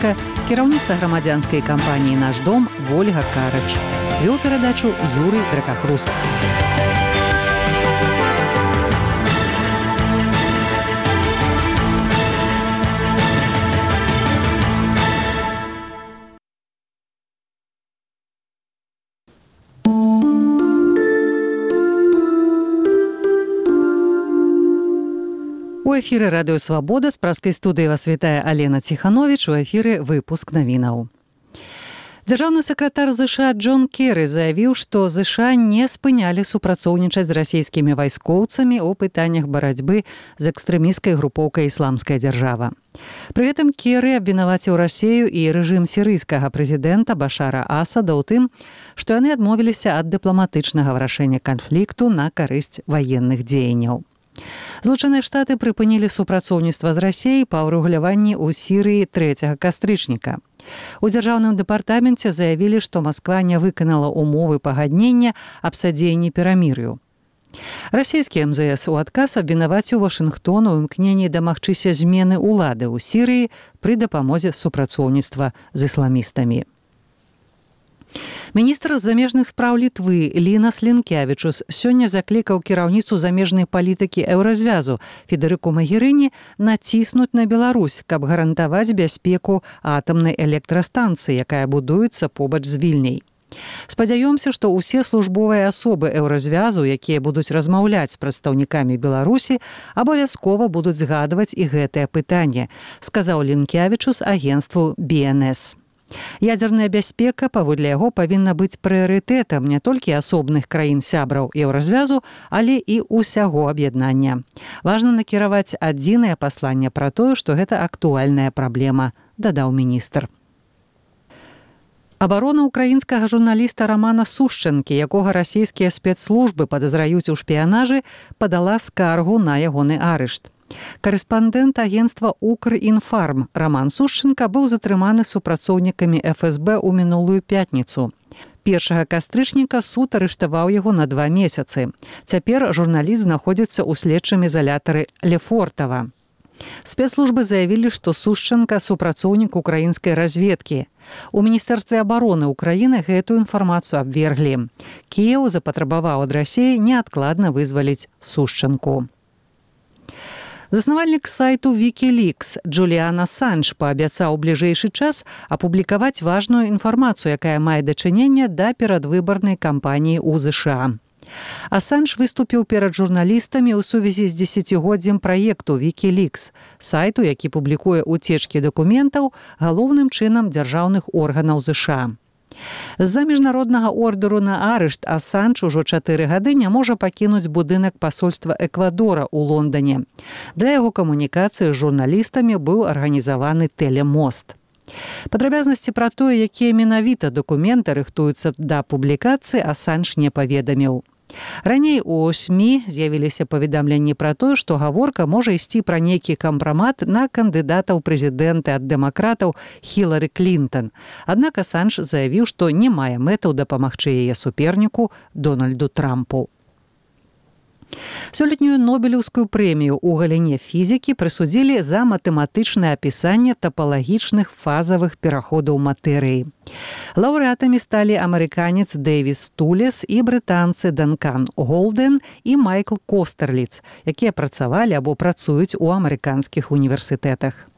журналістка, кіраўніца грамадзянскай кампаніі «Наш дом» Вольга Карач. Вёў перадачу Юрый Дракахруст. У эфіры радыё «Свабода» з праскай студыі вас вітае Алена Ціхановіч. У эфіры выпуск навінаў. Дзяржаўны сакратар ЗША Джон Керры заявіў, што ЗША не спынялі супрацоўнічаць з расійскімі вайскоўцамі ў пытаннях барацьбы з экстрэмісцкай групоўкай «Ісламская дзяржава». Пры гэтым Керры абвінаваціў Расею і рэжым сірыйскага прэзідэнта Башара Асада ў тым, што яны адмовіліся ад дыпламатычнага вырашэння канфлікту на карысць ваенных дзеянняў. Злучаныя Штаты прыпынілі супрацоўніцтва з Расеяй па ўрэгуляванні ў Сірыі 3 кастрычніка. У дзяржаўным дэпартаменце заявілі, што Масква не выканала умовы пагаднення аб садзеянні перамір'ю. Расійскі МЗС у адказ абвінаваціў Вашынгтон у імкненні дамагчыся змены ўлады ў Сірыі пры дапамозе супрацоўніцтва з ісламістамі. Міністр замежных спраў Літвы Лінас Лінкявічус сёння заклікаў кіраўніцу замежнай палітыкі Еўразвязу Федэрыку Магерыні націснуць на Беларусь, каб гарантаваць бяспеку атамнай электрастанцыі, якая будуецца побач з Вільняй. Спадзяёмся, што ўсе службовыя асобы Еўразвязу, якія будуць размаўляць з прадстаўнікамі Беларусі, абавязкова будуць згадваць і гэтае пытанне, сказаў Лінкявічус агенцтву BNS. Ядзерная бяспека, паводле яго, павінна быць прыярытэтам не толькі асобных краін-сябраў Еўразвязу, але і ўсяго аб'яднання. Важна накіраваць адзінае пасланне пра тое, што гэта актуальная праблема, дадаў міністр. Абарона ўкраінскага журналіста Рамана Сушчэнкі, якога расійскія спецслужбы падазраюць у шпіянажы, падала скаргу на ягоны арышт. Карэспандэнт агенцтва «Укрінфарм» Раман Сушчэнка быў затрыманы супрацоўнікамі ФСБ ў мінулую пятніцу. 1 кастрычніка суд арыштаваў яго на 2 месяцы. Цяпер журналіст знаходзіцца ў следчым ізалятары Лефортава. Спецслужбы заявілі, што Сушчэнка супрацоўнік украінскай разведкі. У Міністэрстве абароны Украіны гэтую інфармацыю абверглі. Кіеў запатрабаваў ад Расіі неадкладна вызваліць Сушчэнку. Заснавальнік сайту Wikileaks Джуліан Асанж паабяцаў у бліжэйшы час апублікаваць важную інфармацыю, якая мае дачыненне да перадвыбарнай кампаніі ў ЗША. Асанж выступіў перад журналістамі ў сувязі з 10-годдзем праекту Wikileaks, сайту, які публікуе уцечкі дакументаў галоўным чынам дзяржаўных органаў ЗША. З-за міжнароднага ордэру на арышт Асанж ужо 4 гады не можа пакінуць будынак пасольства Эквадора ў Лондане. Для яго камунікацыі з журналістамі быў арганізаваны тэлемост. Падрабязнасці пра тое, якія менавіта дакументы рыхтуюцца да публікацыі, Асанж не паведаміў. Раней у СМІ з'явіліся паведамленні пра тое, што гаворка можа ісці пра нейкі кампрамат на кандыдата ў прэзідэнты ад дэмакратаў Хілары Клінтон. Аднак Асанж заявіў, што не мае мэтаў дапамагчы яе суперніку Дональду Трампу. Сёлетнюю Нобелеўскую прэмію ў галіне фізікі прысудзілі за матэматычнае апісанне тапалагічных фазавых пераходаў матэрыі. Лаўрэатамі сталі амерыканец Дэвіс Тулес і брытанцы Данкан Голден і Майкл Костерліц, якія працавалі або працуюць у амерыканскіх універсітэтах.